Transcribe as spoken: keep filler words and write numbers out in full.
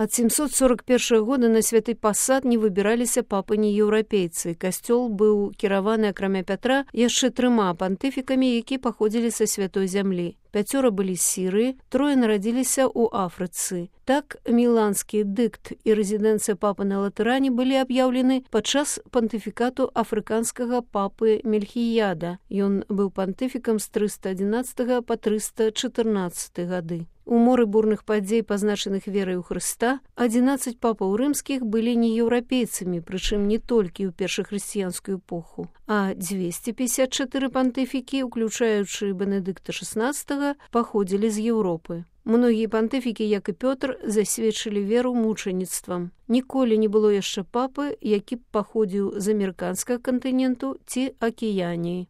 Ад сямсот сорок першага года на святы пасад не выбіраліся папы нееўрапейцы. Касцёл быў кіраваны, акрамя Пятра, яшчэ трыма пантыфікамі, які паходзілі са святой зямлі. Пяцёра былі з Сірыі, трое нарадзіліся ў Афрыцы. Так, міланскі дыкт і рэзідэнцыя папы на Латэране былі аб'яўлены падчас пантыфікату афрыканскага папы Мельхіяда. Ён быў пантыфікам з трыста адзінаццатага па трыста чатырнаццаты гады. У моры бурных падзей, пазначаных верай у Хрыста, адзінаццаць папаў рымскіх былі нееўрапейцамі, прычым не толькі ў першахрысціянскую эпоху, а дзвесце пятьдесят чатыры пантыфікі, уключаючы Бенедыкта шаснаццатага, паходзілі з Еўропы. Многія пантыфікі, як і Пётр, засведчылі веру мучаніцтвам. Ніколі не было яшчэ папы, які б паходзіў з амерыканскага кантыненту ці акіяніі.